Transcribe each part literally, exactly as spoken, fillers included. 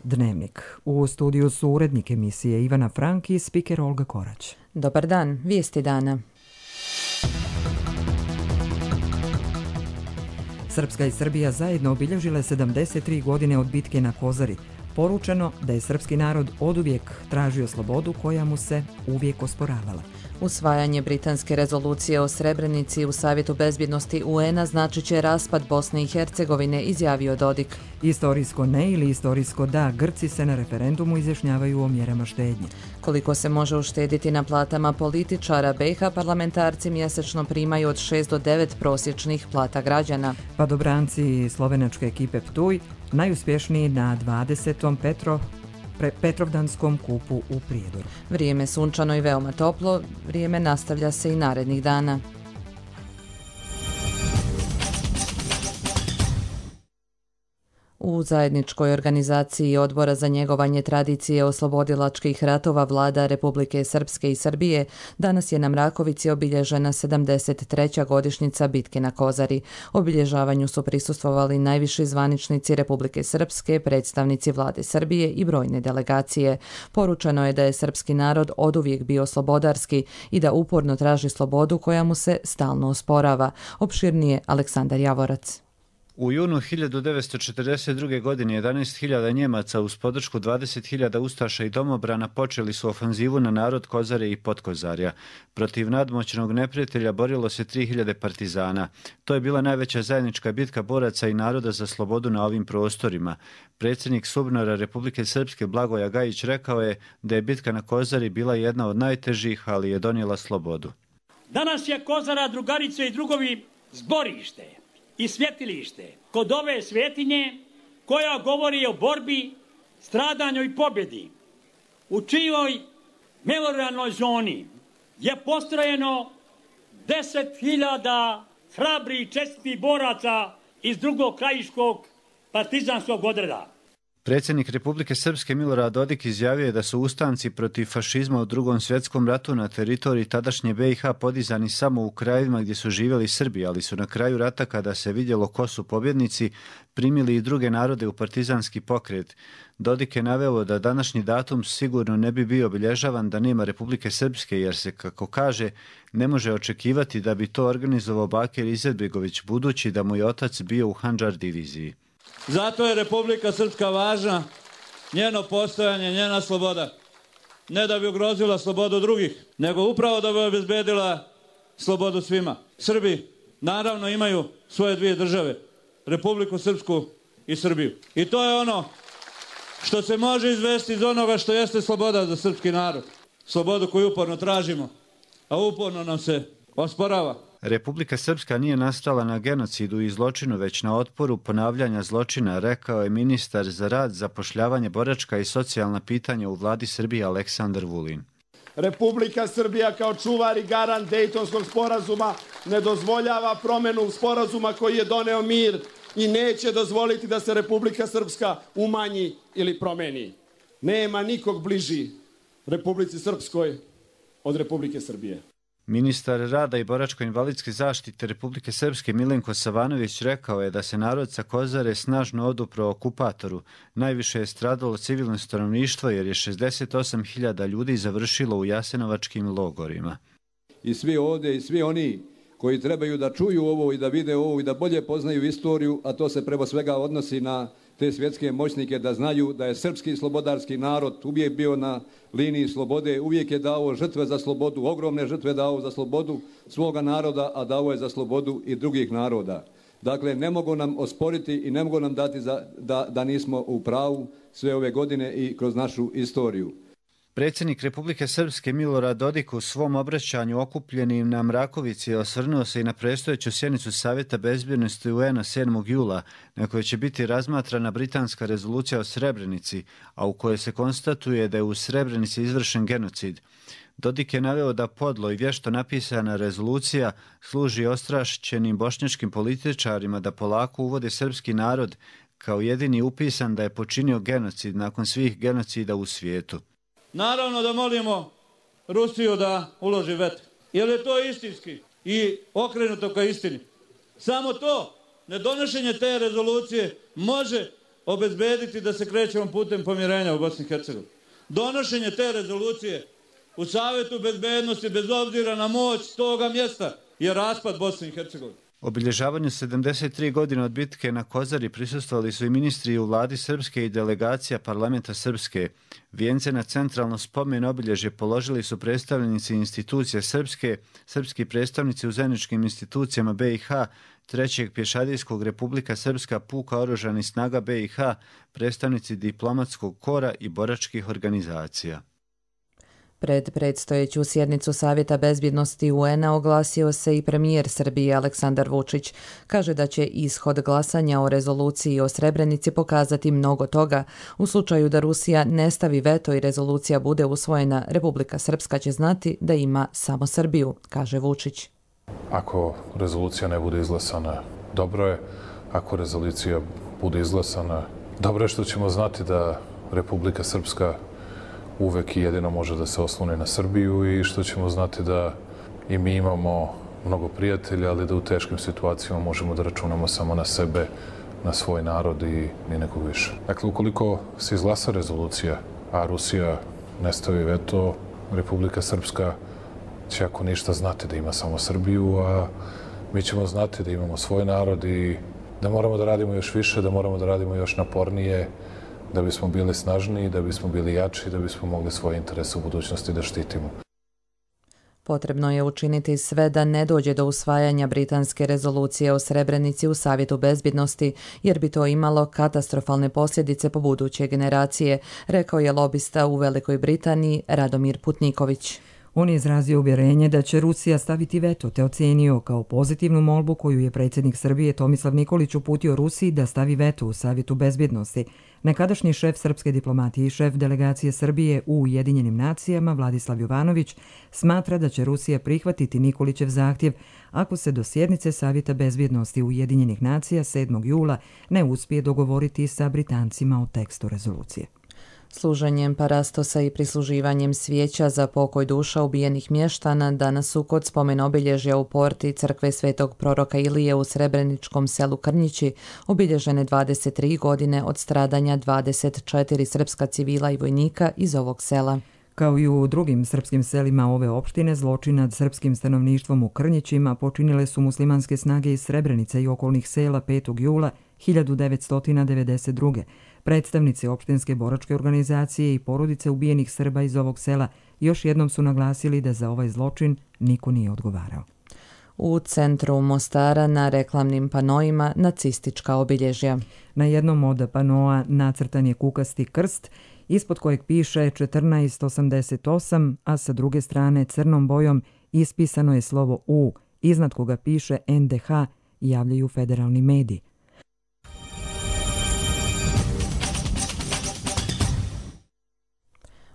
Dnevnik. U studiju su urednik emisije Ivana Frank i spiker Olga Korać. Dobar dan, vijesti dana. Srpska i Srbija zajedno obilježile sedamdeset tri godine od bitke na Kozari. Poručeno da je srpski narod oduvijek tražio slobodu koja mu se uvijek osporavala. Usvajanje britanske rezolucije o Srebrenici u Savjetu bezbjednosti U N-a značit će raspad Bosne i Hercegovine, izjavio Dodik. Istorijsko ne ili istorijsko da, Grci se na referendumu izjašnjavaju o mjerama štednje. Koliko se može uštediti na platama političara, B iH parlamentarci mjesečno primaju od šest do devet prosječnih plata građana. Padobranci slovenačke ekipe Ptuj najuspješniji na dvadesetom Petro Petrovdanskom kupu u Prijedoru. Vrijeme sunčano i veoma toplo, vrijeme nastavlja se i narednih dana. U zajedničkoj organizaciji Odbora za njegovanje tradicije oslobodilačkih ratova vlada Republike Srpske i Srbije danas je na Mrakovici obilježena sedamdeset treća godišnjica bitke na Kozari. Obilježavanju su prisustvovali najviši zvaničnici Republike Srpske, predstavnici vlade Srbije i brojne delegacije. Poručeno je da je srpski narod oduvijek bio slobodarski i da uporno traži slobodu koja mu se stalno osporava. Opširnije Aleksandar Javorac. U junu hiljadu devetsto četrdeset druge. godine jedanaest hiljada Njemaca uz podršku dvadeset hiljada ustaša i domobrana počeli su ofanzivu na narod Kozare i Podkozarja. Protiv nadmoćnog neprijatelja borilo se tri hiljade partizana. To je bila najveća zajednička bitka boraca i naroda za slobodu na ovim prostorima. Predsjednik SUBNOR-a Republike Srpske Blagoja Gajić rekao je da je bitka na Kozari bila jedna od najtežih, ali je donijela slobodu. Danas je Kozara, drugarice i drugovi, zborište i svjetilište kod ove svetinje koja govori o borbi, stradanju i pobjedi, u čijoj memorijalnoj zoni je postrojeno deset hiljada hrabrih čestitih boraca iz drugog krajiškog partizanskog odreda. Predsjednik Republike Srpske Milorad Dodik izjavio je da su ustanci protiv fašizma u drugom svjetskom ratu na teritoriji tadašnje B iH podizani samo u krajevima gdje su živjeli Srbi, ali su na kraju rata, kada se vidjelo ko su pobjednici, primili i druge narode u partizanski pokret. Dodik je naveo da današnji datum sigurno ne bi bio obilježavan da nema Republike Srpske, jer se, kako kaže, ne može očekivati da bi to organizovao Bakir Izetbegović, budući da mu je otac bio u Handžar diviziji. Zato je Republika Srpska važna, njeno postojanje, njena sloboda. Ne da bi ugrozila slobodu drugih, nego upravo da bi obezbedila slobodu svima. Srbi naravno imaju svoje dvije države, Republiku Srpsku i Srbiju. I to je ono što se može izvesti iz onoga što jeste sloboda za srpski narod. Slobodu koju uporno tražimo, a uporno nam se osporava. Republika Srpska nije nastala na genocidu i zločinu, već na otporu ponavljanja zločina, rekao je ministar za rad, zapošljavanje, boračka i socijalna pitanja u vladi Srbije Aleksandar Vulin. Republika Srbija kao čuvar i garant Dejtonskog sporazuma ne dozvoljava promjenu sporazuma koji je doneo mir i neće dozvoliti da se Republika Srpska umanji ili promeni. Nema nikog bliži Republici Srpskoj od Republike Srbije. Ministar rada i boračko-invalidske zaštite Republike Srpske Milenko Savanović rekao je da se narod sa Kozare snažno odupro okupatoru. Najviše je stradalo civilno stanovništvo jer je šezdeset osam hiljada ljudi završilo u jasenovačkim logorima. I svi ovdje i svi oni koji trebaju da čuju ovo i da vide ovo i da bolje poznaju istoriju, a to se preko svega odnosi na te svjetske moćnike, da znaju da je srpski slobodarski narod uvijek bio na liniji slobode, uvijek je dao žrtve za slobodu, ogromne žrtve dao za slobodu svoga naroda, a dao je za slobodu i drugih naroda. Dakle, ne mogu nam osporiti i ne mogu nam dati za, da, da nismo u pravu sve ove godine i kroz našu istoriju. Predsjednik Republike Srpske Milorad Dodik u svom obraćanju okupljenim na Mrakovici osvrnuo se i na predstojeću sjednicu Savjeta bezbjednosti U N-a sedmog jula, na kojoj će biti razmatrana britanska rezolucija o Srebrenici, a u kojoj se konstatuje da je u Srebrenici izvršen genocid. Dodik je naveo da podlo i vješto napisana rezolucija služi ostrašćenim bošnjačkim političarima da polako uvode srpski narod kao jedini upisan da je počinio genocid nakon svih genocida u svijetu. Naravno da molimo Rusiju da uloži veto, jer je to istinski i okrenuto ka istini. Samo to, nedonošenje te rezolucije može obezbediti da se krećemo putem pomirenja u Bosni i Hercegovini. Donošenje te rezolucije u Savetu bezbednosti, bez obzira na moć toga mjesta, je raspad Bosne i Hercegovine. Obilježavanju sedamdeset tri godine od bitke na Kozari prisustvovali su i ministri u vladi Srpske i delegacija parlamenta Srpske. Vijence na centralno spomen obilježje položili su predstavnici institucije Srpske, srpski predstavnici u zajedničkim institucijama B i H, Trećeg pješadijskog Republika Srpska puka oružanih snaga B i H, predstavnici diplomatskog kora i boračkih organizacija. Pred predstojeću sjednicu Savjeta bezbjednosti U N A oglasio se i premijer Srbije Aleksandar Vučić. Kaže da će ishod glasanja o rezoluciji o Srebrenici pokazati mnogo toga. U slučaju da Rusija ne stavi veto i rezolucija bude usvojena, Republika Srpska će znati da ima samo Srbiju, kaže Vučić. Ako rezolucija ne bude izglasana, dobro je. Ako rezolucija bude izglasana, dobro je što ćemo znati da Republika Srpska uvek i jedino može da se osloni na Srbiju i što ćemo znati da i mi imamo mnogo prijatelja, ali da u teškim situacijama možemo da računamo samo na sebe, na svoj narod i ni nekog više. Dakle, ukoliko se izglasa rezolucija, a Rusija ne stavi veto, Republika Srpska će ako ništa znati da ima samo Srbiju, a mi ćemo znati da imamo svoj narod i da moramo da radimo još više, da moramo da radimo još napornije, da bismo bili snažniji, da bismo bili jači, da bismo mogli svoje interese u budućnosti da štitimo. Potrebno je učiniti sve da ne dođe do usvajanja britanske rezolucije o Srebrenici u Savjetu bezbjednosti, jer bi to imalo katastrofalne posljedice po buduće generacije, rekao je lobista u Velikoj Britaniji Radomir Putniković. On je izrazio uvjerenje da će Rusija staviti veto, te ocenio kao pozitivnu molbu koju je predsjednik Srbije Tomislav Nikolić uputio Rusiji da stavi veto u Savjetu bezbjednosti. Nekadašnji šef srpske diplomatije i šef delegacije Srbije u Ujedinjenim nacijama Vladislav Jovanović smatra da će Rusija prihvatiti Nikolićev zahtjev ako se do sjednice Savjeta bezbjednosti Ujedinjenih nacija sedmog jula ne uspije dogovoriti sa Britancima o tekstu rezolucije. Služenjem parastosa i prisluživanjem svijeća za pokoj duša ubijenih mještana danas su kod spomen obilježja u porti crkve Svetog proroka Ilije u srebreničkom selu Krnjići obilježene dvadeset tri godine od stradanja dvadeset četiri srpska civila i vojnika iz ovog sela. Kao i u drugim srpskim selima ove opštine, zločin nad srpskim stanovništvom u Krnjićima počinile su muslimanske snage iz Srebrenice i okolnih sela petog jula hiljadu devetsto devedeset druge. Predstavnici opštinske boračke organizacije i porodice ubijenih Srba iz ovog sela još jednom su naglasili da za ovaj zločin niko nije odgovarao. U centru Mostara na reklamnim panoima nacistička obilježja. Na jednom od panoa nacrtan je kukasti krst, ispod kojeg piše četrnaest osamdeset osam, a sa druge strane crnom bojom ispisano je slovo U, iznad koga piše N D H, javljaju federalni mediji.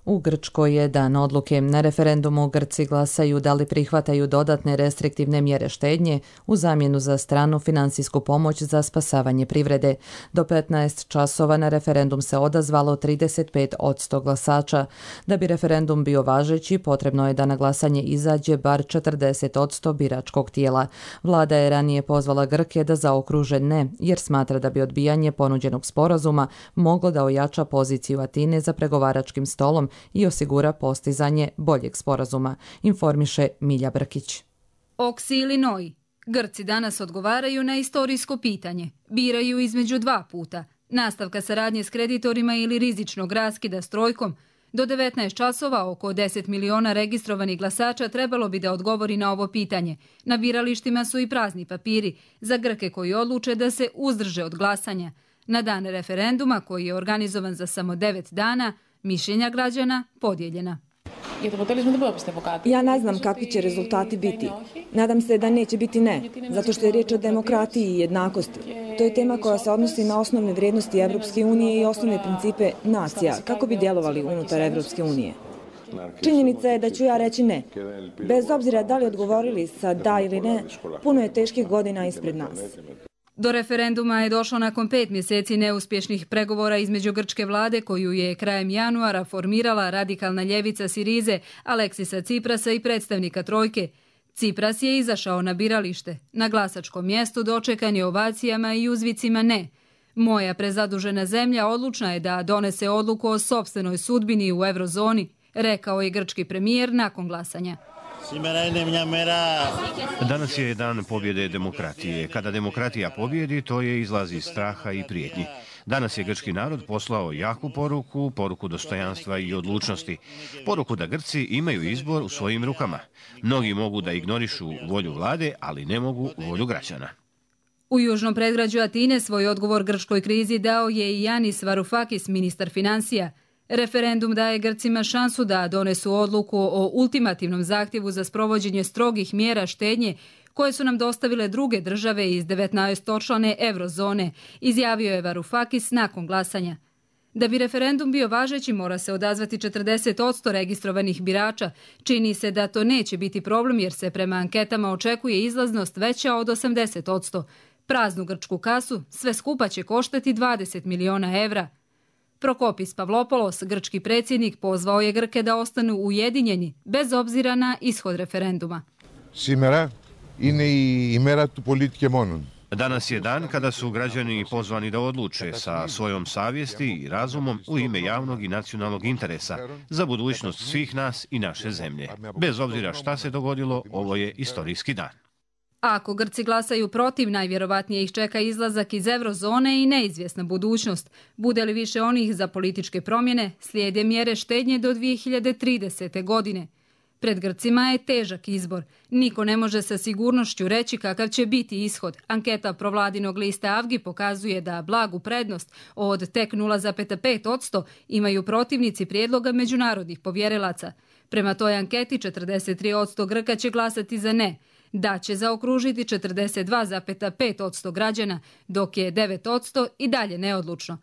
U Grčkoj je dan odluke. Na referendumu Grci glasaju da li prihvataju dodatne restriktivne mjere štednje u zamjenu za stranu finansijsku pomoć za spasavanje privrede. Do petnaest časova na referendum se odazvalo trideset pet posto glasača. Da bi referendum bio važeći, potrebno je da na glasanje izađe bar četrdeset posto biračkog tijela. Vlada je ranije pozvala Grke da zaokruže ne, jer smatra da bi odbijanje ponuđenog sporazuma moglo da ojača poziciju Atine za pregovaračkim stolom i osigura postizanje boljeg sporazuma, informiše Milja Brkić. Oksi ili noj. Grci danas odgovaraju na istorijsko pitanje. Biraju između dva puta. Nastavka saradnje s kreditorima ili rizičnog raskida s trojkom. Do devetnaest časova oko deset miliona registrovanih glasača trebalo bi da odgovori na ovo pitanje. Na biralištima su i prazni papiri za Grke koji odluče da se uzdrže od glasanja. Na dan referenduma, koji je organizovan za samo devet dana, mišljenja građana podijeljena. Ja ne znam kakvi će rezultati biti. Nadam se da neće biti ne, zato što je riječ o demokratiji i jednakosti. To je tema koja se odnosi na osnovne vrijednosti Evropske unije i osnovne principe nacija, kako bi djelovali unutar Evropske unije. Činjenica je da ću ja reći ne. Bez obzira da li odgovorili sa da ili ne, puno je teških godina ispred nas. Do referenduma je došlo nakon pet mjeseci neuspješnih pregovora između grčke vlade, koju je krajem januara formirala radikalna ljevica Sirize, Aleksisa Ciprasa i predstavnika trojke. Cipras je izašao na biralište. Na glasačkom mjestu dočekan je ovacijama i uzvicima ne. Moja prezadužena zemlja odlučna je da donese odluku o sopstvenoj sudbini u eurozoni, rekao je grčki premijer nakon glasanja. Danas je dan pobjede demokratije. Kada demokratija pobjedi, to je izlaz iz straha i prijetnji. Danas je grčki narod poslao jaku poruku, poruku dostojanstva i odlučnosti. Poruku da Grci imaju izbor u svojim rukama. Mnogi mogu da ignorišu volju vlade, ali ne mogu volju građana. U južnom predgrađu Atine svoj odgovor grčkoj krizi dao je i Yanis Varoufakis, ministar financija. Referendum daje Grcima šansu da donesu odluku o ultimativnom zahtjevu za sprovođenje strogih mjera štednje koje su nam dostavile druge države iz devetnaestočlane eurozone, izjavio je Varoufakis nakon glasanja. Da bi referendum bio važeći, mora se odazvati četrdeset posto registrovanih birača. Čini se da to neće biti problem jer se prema anketama očekuje izlaznost veća od osamdeset posto. Praznu grčku kasu sve skupa će koštati dvadeset miliona evra. Prokopis Pavlopoulos, grčki predsjednik, pozvao je Grke da ostanu ujedinjeni, bez obzira na ishod referenduma. Σήμερα είναι η ημέρα του πολίτη και μόνον. Danas je dan kada su građani pozvani da odluče sa svojom savjesti i razumom u ime javnog i nacionalnog interesa za budućnost svih nas i naše zemlje. Bez obzira šta se dogodilo, ovo je istorijski dan. Ako Grci glasaju protiv, najvjerovatnije ih čeka izlazak iz eurozone i neizvjesna budućnost. Bude li više onih za političke promjene, slijede mjere štednje do dvije hiljade tridesete. godine. Pred Grcima je težak izbor. Niko ne može sa sigurnošću reći kakav će biti ishod. Anketa provladinog lista Avgi pokazuje da blagu prednost od tek nula zarez pet posto imaju protivnici prijedloga međunarodnih povjerilaca. Prema toj anketi četrdeset tri posto Grka će glasati za ne. Da će zaokružiti četrdeset dva zarez pet posto građana, dok je devet posto i dalje neodlučno.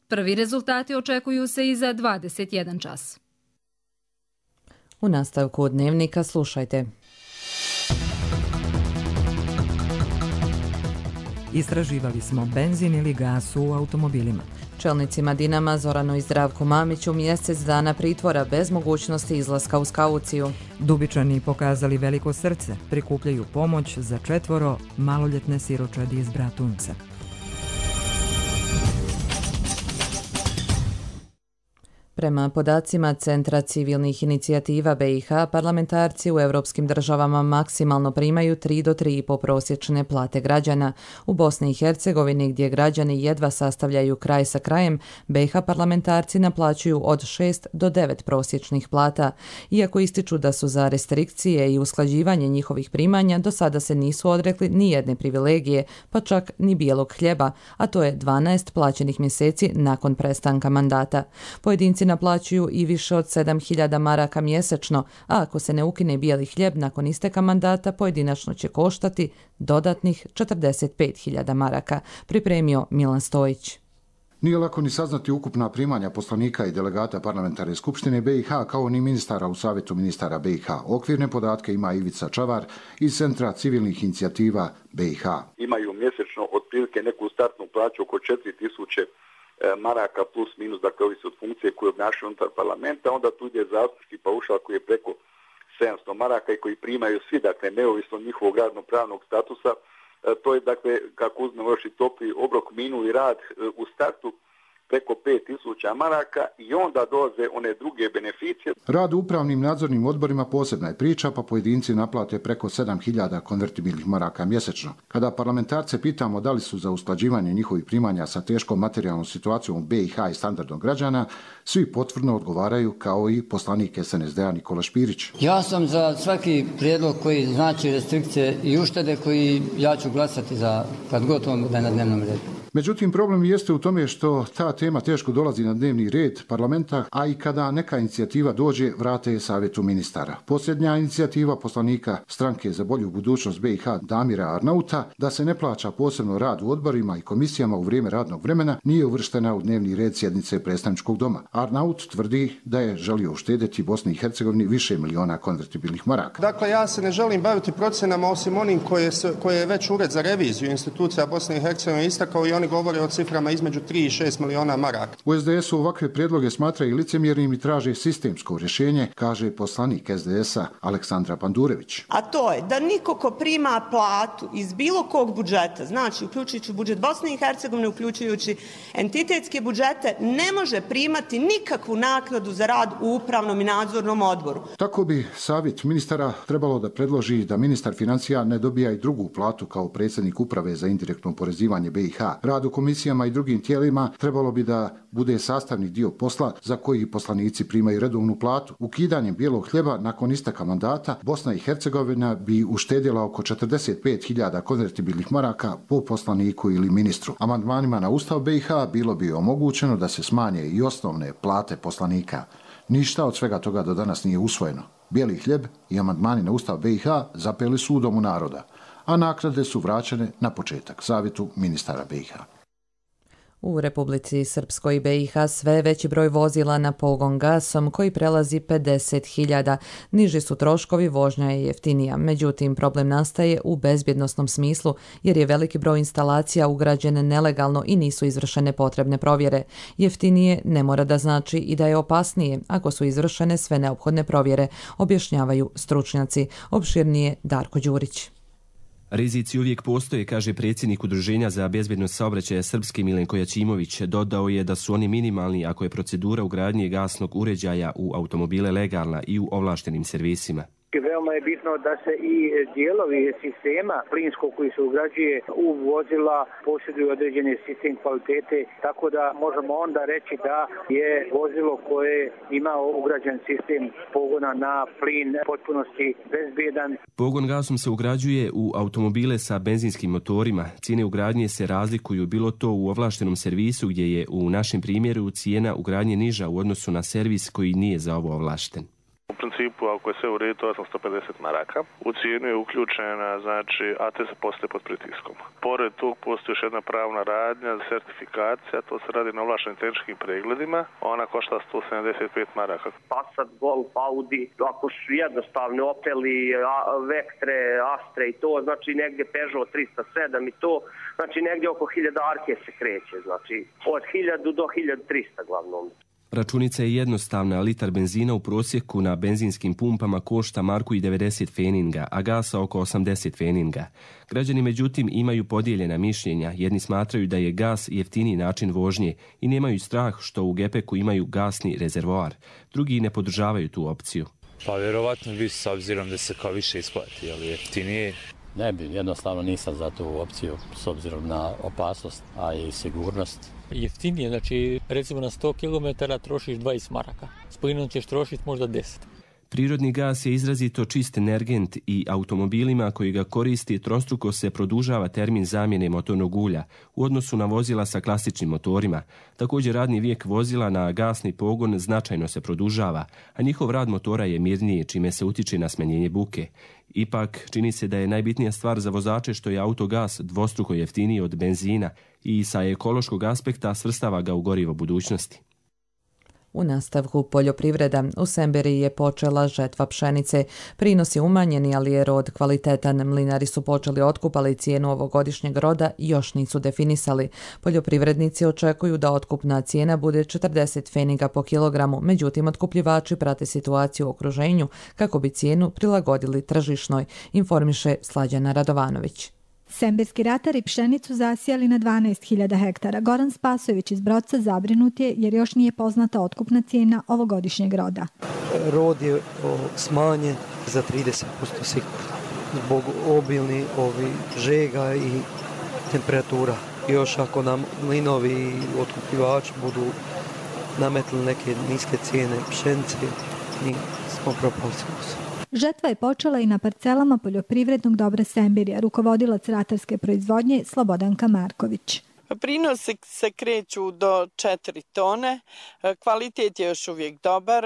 Prvi rezultati očekuju se i za dvadeset jedan čas. U nastavku Dnevnika slušajte. Istraživali smo benzin ili gas u automobilima. Čelnicima Dinama Zoranu i Zdravku Mamiću mjesec dana pritvora bez mogućnosti izlaska uz kauciju. Dubičani pokazali veliko srce, prikupljaju pomoć za četvoro maloljetne siročadi iz Bratunca. Prema podacima Centra civilnih inicijativa B i H, parlamentarci u europskim državama maksimalno primaju tri do tri i pol prosječne plate građana. U Bosni i Hercegovini, gdje građani jedva sastavljaju kraj sa krajem, B i H parlamentarci naplaćuju od šest do devet prosječnih plata. Iako ističu da su za restrikcije i usklađivanje njihovih primanja, do sada se nisu odrekli ni jedne privilegije, pa čak ni bijelog hljeba, a to je dvanaest plaćenih mjeseci nakon prestanka mandata. Pojedinci naplaćuju i više od sedam hiljada maraka mjesečno, a ako se ne ukine bijeli hljeb nakon isteka mandata, pojedinačno će koštati dodatnih četrdeset pet hiljada maraka, pripremio Milan Stojić. Nije lako ni saznati ukupna primanja poslanika i delegata parlamentarne skupštine B i H kao ni ministara u savjetu ministara B i H. Okvirne podatke ima Ivica Čavar iz Centra civilnih inicijativa B i H. Imaju mjesečno otprilike neku startnu plaću oko četiri tisuće maraka plus minus, dakle ovisi od funkcije koje obnašaju unutar parlamenta, onda tu ide zastupnički paušal koji je preko sedamsto maraka i koji primaju svi, dakle neovisno od njihovog radno-pravnog statusa. To je, dakle, kako uzmemo još i topli obrok, minuli rad u startu preko pet tisuća maraka i onda dolaze one druge beneficije. Rad u upravnim nadzornim odborima posebna je priča, pa pojedinci naplate preko sedam hiljada konvertibilnih maraka mjesečno. Kada parlamentarce pitamo da li su za usklađivanje njihovih primanja sa teškom materijalnom situacijom u B i H i standardom građana, svi potvrdno odgovaraju kao i poslanik S N S D-a Nikola Špirić. Ja sam za svaki prijedlog koji znači restrikcije i uštede koji ja ću glasati za kad god on bude na dnevnom redu. Međutim, problem jeste u tome što ta tema teško dolazi na dnevni red parlamenta, a i kada neka inicijativa dođe, vrate je savjetu ministara. Posljednja inicijativa poslanika Stranke za bolju budućnost B i H Damira Arnauta, da se ne plaća posebno rad u odborima i komisijama u vrijeme radnog vremena, nije uvrštena u dnevni red sjednice predstavničkog doma. Arnaut tvrdi da je želio uštedjeti Bosni i Hercegovini više miliona konvertibilnih maraka. Dakle, ja se ne želim baviti procenama osim onim koje, se, koje je već Ured za reviziju institucija Bosne i Hercegovine istakao i oni govore o ciframa između tri i šest miliona maraka. U es de esu ovakve prijedloge smatraju licemjernim i traže sistemsko rješenje, kaže poslanik es de esa Aleksandra Pandurević. A to je da niko ko prima platu iz bilo kog budžeta, znači uključujući budžet Bosne i Hercegovine, uključujući entitetske budžete, ne može primati nikakvu naknadu za rad u upravnom i nadzornom odboru. Tako bi savjet ministara trebalo da predloži da ministar financija ne dobija i drugu platu kao predsjednik uprave za indirektno oporezivanje be i ha. Rad u komisijama i drugim tijelima trebalo bi da bude sastavni dio posla za koji poslanici primaju redovnu platu. Ukidanjem bijelog hljeba nakon isteka mandata Bosna i Hercegovina bi uštedjela oko četrdeset pet hiljada konvertibilnih maraka po poslaniku ili ministru. Amandmanima na Ustav be i ha bilo bi omogućeno da se smanje i osnovne plate poslanika. Ništa od svega toga do danas nije usvojeno. Bijeli hljeb i amandmani na Ustav be i ha zapeli su u Domu naroda, a naknade su vraćene na početak savjetu ministara be i ha. U Republici Srpskoj i be i ha sve veći broj vozila na pogon gasom koji prelazi pedeset hiljada. Niži su troškovi, vožnja je jeftinija. Međutim, problem nastaje u bezbjednosnom smislu jer je veliki broj instalacija ugrađen nelegalno i nisu izvršene potrebne provjere. Jeftinije ne mora da znači i da je opasnije ako su izvršene sve neophodne provjere, objašnjavaju stručnjaci. Opširnije Darko Đurić. Rizici uvijek postoje, kaže predsjednik Udruženja za bezbjednost saobraćaja Srpske Milenko Jačimović. Dodao je da su oni minimalni ako je procedura ugradnje gasnog uređaja u automobile legalna i u ovlaštenim servisima. Veoma je bitno da se i dijelovi sistema plinskog koji se ugrađuje u vozila posjeduju određeni sistem kvalitete, tako da možemo onda reći da je vozilo koje ima ugrađen sistem pogona na plin potpunosti bezbjedan. Pogon gasom se ugrađuje u automobile sa benzinskim motorima. Cijene ugradnje se razlikuju, bilo to u ovlaštenom servisu gdje je u našem primjeru cijena ugradnje niža u odnosu na servis koji nije za ovo ovlašten. U principu, ako je sve u redu, to je osamsto pedeset maraka. U cijenu je uključena, znači, a te se postaje pod pritiskom. Pored tog postoji još jedna pravna radnja, certifikacija, to se radi na ovlaštenim tehničkim pregledima, ona košta sto sedamdeset pet maraka. Passat, Golf, Audi, ako su jednostavni Opeli, Vectre, Astre i to, znači negdje Peugeot tristo sedam i to, znači negdje oko hiljadarke se kreće, znači od hiljadu do hiljadu trista glavnom. Računica je jednostavna, litar benzina u prosjeku na benzinskim pumpama košta marku i devedeset feninga, a gasa oko osamdeset feninga. Građani međutim imaju podijeljena mišljenja, jedni smatraju da je gas jeftiniji način vožnje i nemaju strah što u gepeku imaju gasni rezervoar, drugi ne podržavaju tu opciju. Pa vjerovatno bi s obzirom da se kao više isplati, ali jeftinije. Ne bi, jednostavno nisam za tu opciju s obzirom na opasnost, a i sigurnost. Jeftinije, znači recimo na sto kilometara trošiš dvadeset maraka, s plinom ćeš trošiti možda deset. Prirodni gas je izrazito čist energent i automobilima koji ga koristi trostruko se produžava termin zamjene motornog ulja u odnosu na vozila sa klasičnim motorima. Također radni vijek vozila na gasni pogon značajno se produžava, a njihov rad motora je mirniji čime se utiče na smanjenje buke. Ipak, čini se da je najbitnija stvar za vozače što je autogas dvostruko jeftiniji od benzina i sa ekološkog aspekta svrstava ga u gorivo budućnosti. U nastavku poljoprivreda. U Semberiji je počela žetva pšenice. Prinos je umanjeni, ali je rod kvalitetan. Mlinari su počeli otkup, ali cijenu ovogodišnjeg roda još nisu definisali. Poljoprivrednici očekuju da otkupna cijena bude četrdeset feninga po kilogramu, međutim otkupljivači prate situaciju u okruženju kako bi cijenu prilagodili tržišnoj, informiše Slađana Radovanović. Semberski ratari pšenicu zasijali na dvanaest hiljada hektara. Goran Spasojević iz Brodca zabrinut je jer još nije poznata otkupna cijena ovogodišnjeg roda. Rod je smanjen za trideset posto sigurno zbog obilnih ovi žega i temperatura. Još ako nam mlinovi i otkupljivači budu nametili neke niske cijene pšenice, mi smo propali skroz. Žetva je počela i na parcelama poljoprivrednog dobra Semberija, rukovodilac ratarske proizvodnje Slobodanka Marković. Prinosi se kreću do četiri tone, kvalitet je još uvijek dobar,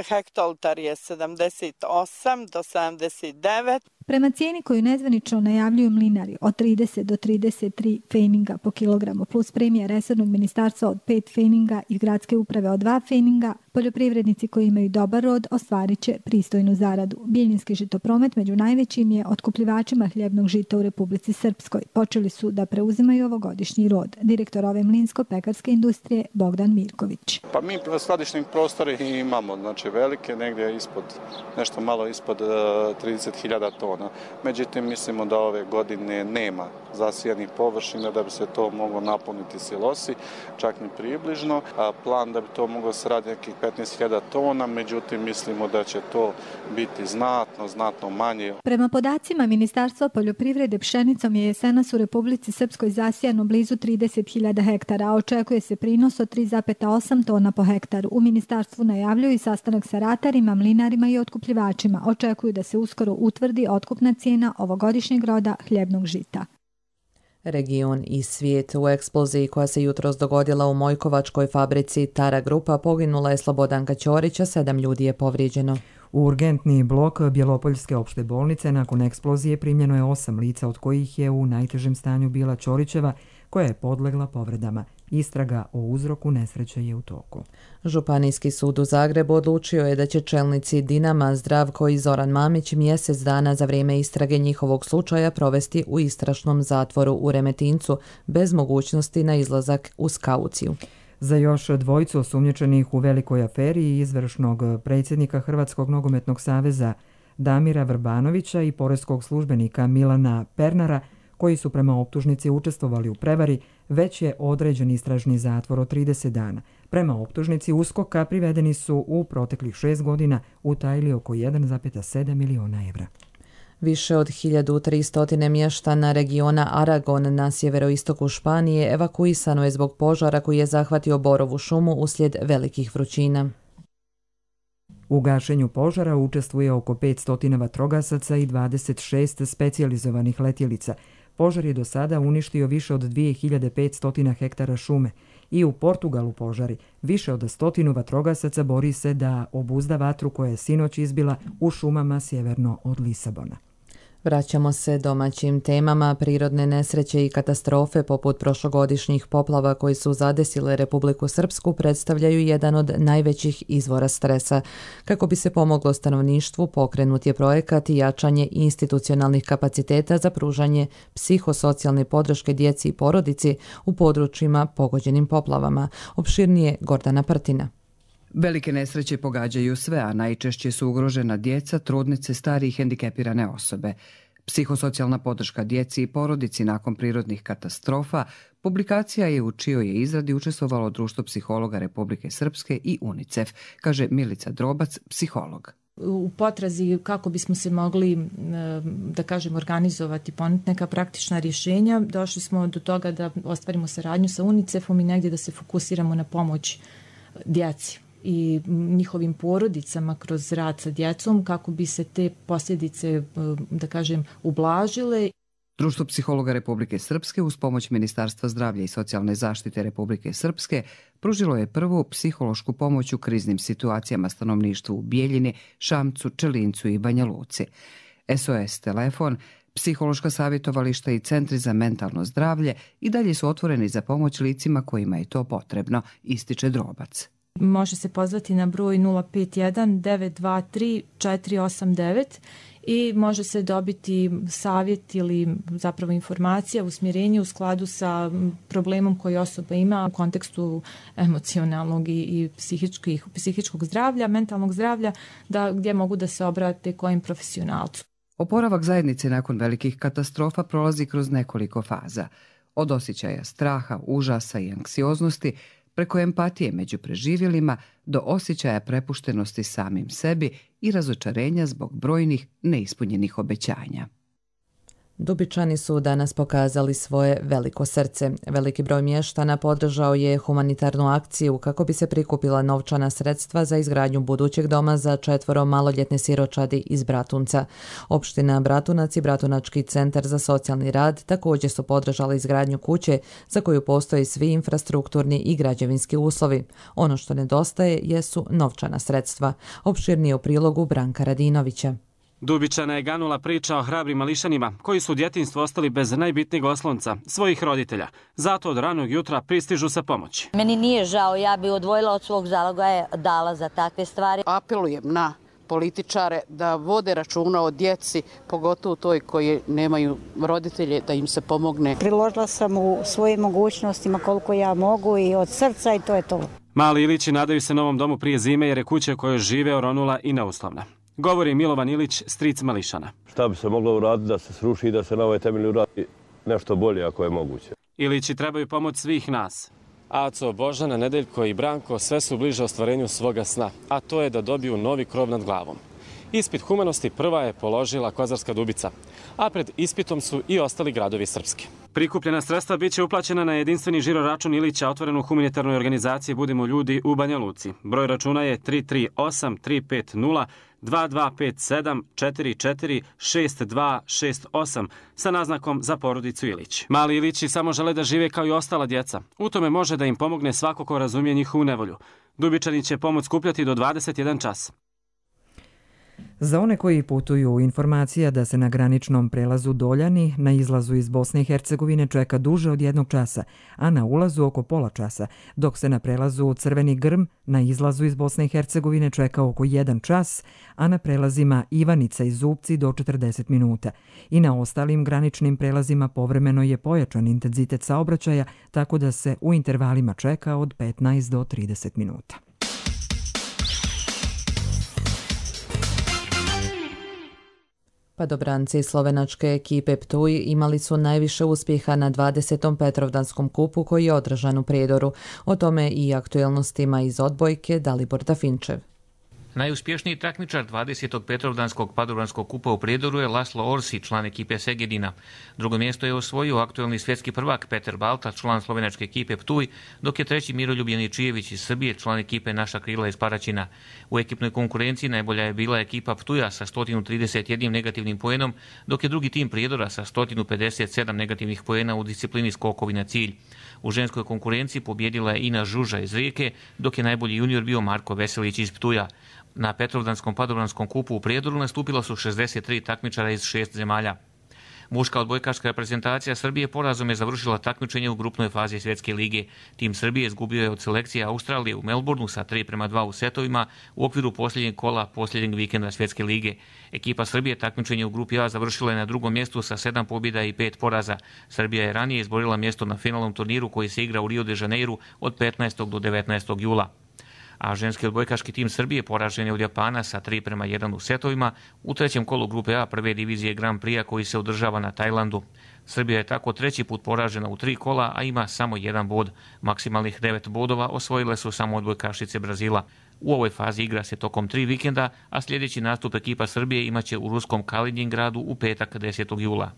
hektoltar je sedamdeset osam do sedamdeset devet. Prema cijeni koju nezvanično najavljuju mlinari od trideset do trideset tri feninga po kilogramu plus premija resornog ministarstva od pet feninga i gradske uprave od dva feninga, poljoprivrednici koji imaju dobar rod ostvarit će pristojnu zaradu. Bijeljinski žitopromet među najvećim je otkupljivačima hljebnog žita u Republici Srpskoj. Počeli su da preuzimaju ovogodišnji rod. Direktor ove mlinsko-pekarske industrije Bogdan Mirković. Pa mi skladišni prostori imamo, znači velike, negdje ispod, nešto malo ispod trideset hiljada tona. Međutim, mislimo da ove godine nema zasijanih površina da bi se to moglo napuniti silosi, čak ni približno. A plan da bi to moglo se raditi nekih petnaest hiljada tona, međutim mislimo da će to biti znatno, znatno manje. Prema podacima Ministarstva poljoprivrede, pšenicom je jesenas u Republici Srpskoj zasijano blizu trideset hiljada hektara, a očekuje se prinos od tri zarez osam tona po hektaru. U ministarstvu najavljuju i sastanak sa ratarima, mlinarima i otkupljivačima. Očekuju da se uskoro utvrdi otkupna cijena ovogodišnjeg roda hljebnog žita. Region i svijet. U eksploziji koja se jutros dogodila u Mojkovačkoj fabrici Tara Grupa poginula je Slobodanka Ćorić, a sedam ljudi je povrijeđeno. U urgentni blok Bjelopoljske opšte bolnice nakon eksplozije primljeno je osam lica, od kojih je u najtežem stanju bila Ćorićeva, koja je podlegla povredama. Istraga o uzroku nesreće je u toku. Županijski sud u Zagrebu odlučio je da će čelnici Dinama Zdravko i Zoran Mamić mjesec dana za vrijeme istrage njihovog slučaja provesti u istražnom zatvoru u Remetincu bez mogućnosti na izlazak uz kauciju. Za još dvojicu osumnjičenih u velikoj aferi i izvršnog predsjednika Hrvatskog nogometnog saveza Damira Vrbanovića i poreskog službenika Milana Pernara, koji su prema optužnici učestvovali u prevari, već je određen istražni zatvor od trideset dana. Prema optužnici U S K O K-a privedeni su u proteklih šest godina utajili oko jedan zarez sedam miliona evra. Više od hiljadu tristo mještana regiona Aragon na sjeveroistoku Španije evakuisano je zbog požara koji je zahvatio borovu šumu uslijed velikih vrućina. U gašenju požara učestvuje oko petsto vatrogasaca i dvadeset šest specijalizovanih letjelica. Požar je do sada uništio više od dvije hiljade petsto hektara šume. I u Portugalu požari. Više od stotinu vatrogasaca bori se da obuzda vatru koja je sinoć izbila u šumama sjeverno od Lisabona. Vraćamo se domaćim temama. Prirodne nesreće i katastrofe poput prošlogodišnjih poplava koji su zadesile Republiku Srpsku predstavljaju jedan od najvećih izvora stresa. Kako bi se pomoglo stanovništvu, pokrenut je projekat i jačanje institucionalnih kapaciteta za pružanje psihosocijalne podrške djeci i porodici u područjima pogođenim poplavama. Opširnije Gordana Prtina. Velike nesreće pogađaju sve, a najčešće su ugrožena djeca, trudnice, stari i hendikepirane osobe. Psihosocijalna podrška djeci i porodici nakon prirodnih katastrofa publikacija je u čijoj je izradi učestvovalo Društvo psihologa Republike Srpske i UNICEF, kaže Milica Drobac, psiholog. U potrazi kako bismo se mogli, da kažem, organizovati, ponuditi neka praktična rješenja, došli smo do toga da ostvarimo saradnju sa UNICEF-om i negdje da se fokusiramo na pomoć djeci i njihovim porodicama kroz rad sa djecom kako bi se te posljedice, da kažem, ublažile. Društvo psihologa Republike Srpske uz pomoć Ministarstva zdravlja i socijalne zaštite Republike Srpske pružilo je prvu psihološku pomoć u kriznim situacijama stanovništvu u Bijeljini, Šamcu, Čelincu i Banja Luci. S O S telefon, psihološka savjetovališta i centri za mentalno zdravlje i dalje su otvoreni za pomoć licima kojima je to potrebno, ističe Drobac. Može se pozvati na broj nula pet jedan devet dva tri četiri osam devet i može se dobiti savjet ili zapravo informacija, usmjerenje u skladu sa problemom koji osoba ima u kontekstu emocionalnog i, i psihičkih, psihičkog zdravlja, mentalnog zdravlja, da, gdje mogu da se obrate kojim profesionalcu. Oporavak zajednice nakon velikih katastrofa prolazi kroz nekoliko faza. Od osjećaja straha, užasa i anksioznosti, preko empatije među preživjelima do osjećaja prepuštenosti samim sebi i razočarenja zbog brojnih neispunjenih obećanja. Dubičani su danas pokazali svoje veliko srce. Veliki broj mještana podržao je humanitarnu akciju kako bi se prikupila novčana sredstva za izgradnju budućeg doma za četvoro maloljetne siročadi iz Bratunca. Opština Bratunac i Bratunački centar za socijalni rad također su podržali izgradnju kuće za koju postoji svi infrastrukturni i građevinski uslovi. Ono što nedostaje jesu novčana sredstva. Opširnije u prilogu Branka Radinovića. Dubičana je ganula priča o hrabrim mališanima koji su u djetinjstvu ostali bez najbitnijeg oslonca, svojih roditelja. Zato od ranog jutra pristižu sa pomoći. Meni nije žao, ja bi odvojila od svog zalogaja, dala za takve stvari. Apelujem na političare da vode računa o djeci, pogotovo toj koji nemaju roditelje, da im se pomogne. Priložila sam u svojim mogućnostima koliko ja mogu i od srca i to je to. Mali Ilići nadaju se novom domu prije zime jer je kuća u kojoj žive oronula i neuslovna. Govori Milovan Ilić, stric mališana. Šta bi se moglo uraditi da se sruši i da se na ovoj temelji uradi nešto bolje ako je moguće. Ilići trebaju pomoć svih nas. Aco, Božana, Nedeljko i Branko sve su bliže ostvarenju svoga sna, a to je da dobiju novi krov nad glavom. Ispit humanosti prva je položila Kozarska Dubica, a pred ispitom su i ostali gradovi Srpske. Prikupljena sredstva bit će uplaćena na jedinstveni žiro račun Ilića otvoren u humanitarnoj organizaciji Budimo ljudi u Banja Luci. Broj računa je tri tri osam tri pet nula dva dva pet sedam četiri četiri šest dva šest osam sa naznakom za porodicu Ilić. Mali Ilići samo žele da žive kao i ostala djeca. U tome može da im pomogne svako ko razumije njihovu nevolju. Dubičani će pomoć skupljati do dvadeset jedan čas. Za one koji putuju, informacija da se na graničnom prelazu Doljani na izlazu iz Bosne i Hercegovine čeka duže od jednog časa, a na ulazu oko pola časa, dok se na prelazu Crveni Grm na izlazu iz Bosne i Hercegovine čeka oko jedan čas, a na prelazima Ivanica i Zupci do četrdeset minuta. I na ostalim graničnim prelazima povremeno je pojačan intenzitet saobraćaja, tako da se u intervalima čeka od petnaest do trideset minuta. Padobranci slovenačke ekipe Ptuj imali su najviše uspjeha na dvadesetom Petrovdanskom kupu koji je održan u Prijedoru. O tome i aktuelnostima iz odbojke Dalibor Dafinčev. Najuspješniji takmičar dvadesetog Petrovdanskog padobranskog kupa u Prijedoru je Laslo Orsi, član ekipe Segedina. Drugo mjesto je osvojio aktuelni svjetski prvak Petar Balta, član slovenačke ekipe Ptuj, dok je treći Miroljub Janičijević iz Srbije, član ekipe Naša krila iz Paraćina. U ekipnoj konkurenciji najbolja je bila ekipa Ptuja sa sto trideset jedan negativnim poenom, dok je drugi tim Prijedora sa sto pedeset sedam negativnih poena u disciplini skokovi na cilj. U ženskoj konkurenciji pobjedila je Ina Žuža iz Rijeke, dok je najbolji junior bio Marko Veselić iz Ptuja. Na Petrovdanskom padobranskom kupu u Prijedoru nastupila su šezdeset tri takmičara iz šest zemalja. Muška odbojkaška reprezentacija Srbije porazom je završila takmičenje u grupnoj fazi Svjetske lige. Tim Srbije izgubio je od selekcije Australije u Melbourneu sa tri prema dva u setovima u okviru posljednjeg kola posljednjeg vikenda Svjetske lige. Ekipa Srbije takmičenje u grupi A završila je na drugom mjestu sa sedam pobjeda i pet poraza. Srbija je ranije izborila mjesto na finalnom turniru koji se igra u Rio de Janeiru od petnaestog do devetnaestog jula. A ženski odbojkaški tim Srbije poražen je od Japana sa tri prema jedan u setovima u trećem kolu grupe A prve divizije Grand Prix koji se održava na Tajlandu. Srbija je tako treći put poražena u tri kola, a ima samo jedan bod. Maksimalnih devet bodova osvojile su samo odbojkašice Brazila. U ovoj fazi igra se tokom tri vikenda, a sljedeći nastup ekipa Srbije imaće u ruskom Kaliningradu u petak desetog jula.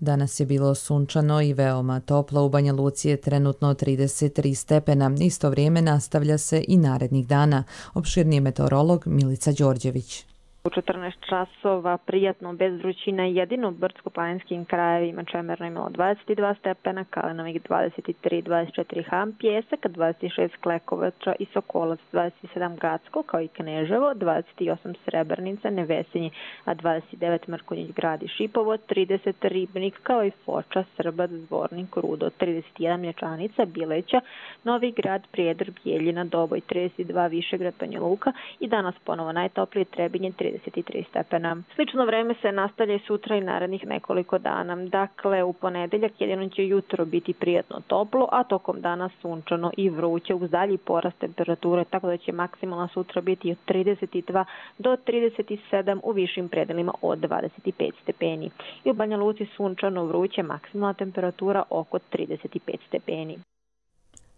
Danas je bilo sunčano i veoma toplo, u Banja Luci je trenutno trideset tri stepena. Isto vrijeme nastavlja se i narednih dana. Opširniji meteorolog Milica Đorđević. U četrnaest časova prijatno bez vrućine, jedino u brdsko-planinskim krajevima Čemerno imalo dvadeset dva stepena, Kalenovik dvadeset tri, dvadeset četiri Ham, Pjesak dvadeset šest Klekovača i Sokolac, dvadeset sedam Gacko kao i Kneževo, dvadeset osam Srebrnica, Nevesinji, a dvadeset devet Mrkonjić Grad i Šipovo, trideset Ribnik kao i Foča, Srbac, Zvornik, Rudo, trideset jedan Mlječanica, Bileća, Novi Grad, Prijedor, Bijeljina, Doboj, trideset dva Višegrad, Banja Luka i danas ponovo najtoplije Trebinje, trideset tri stepena. Slično vreme se nastavlja i sutra i narednih nekoliko dana. Dakle, u ponedeljak jedino će jutro biti prijatno toplo, a tokom dana sunčano i vruće uz dalji porast temperature, tako da će maksimalna sutra biti od trideset dva do trideset sedam, u višim predelima od dvadeset pet stepeni. I u Banja Luci sunčano vruće, maksimalna temperatura oko trideset pet stepeni.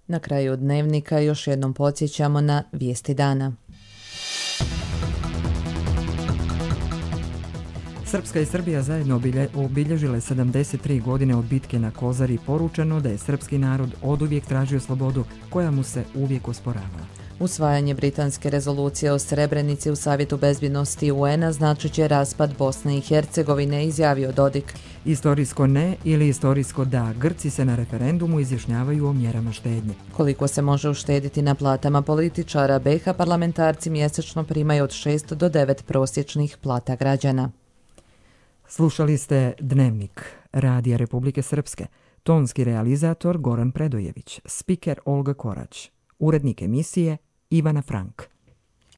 Na kraju dnevnika još jednom podsjećamo na vijesti dana. Srpska i Srbija zajedno obilježile sedamdeset tri godine od bitke na Kozari. Poručeno da je srpski narod oduvijek tražio slobodu koja mu se uvijek osporavala. Usvajanje britanske rezolucije o Srebrenici u Savjetu bezbjednosti U N-a značit će raspad Bosne i Hercegovine, izjavio Dodik. Istorijsko ne ili istorijsko da, Grci se na referendumu izjašnjavaju o mjerama štednje. Koliko se može uštediti na platama političara, B iH parlamentarci mjesečno primaju od šest do devet prosječnih plata građana. Slušali ste Dnevnik Radija Republike Srpske, tonski realizator Goran Predojević, spiker Olga Korać, urednik emisije Ivana Frank.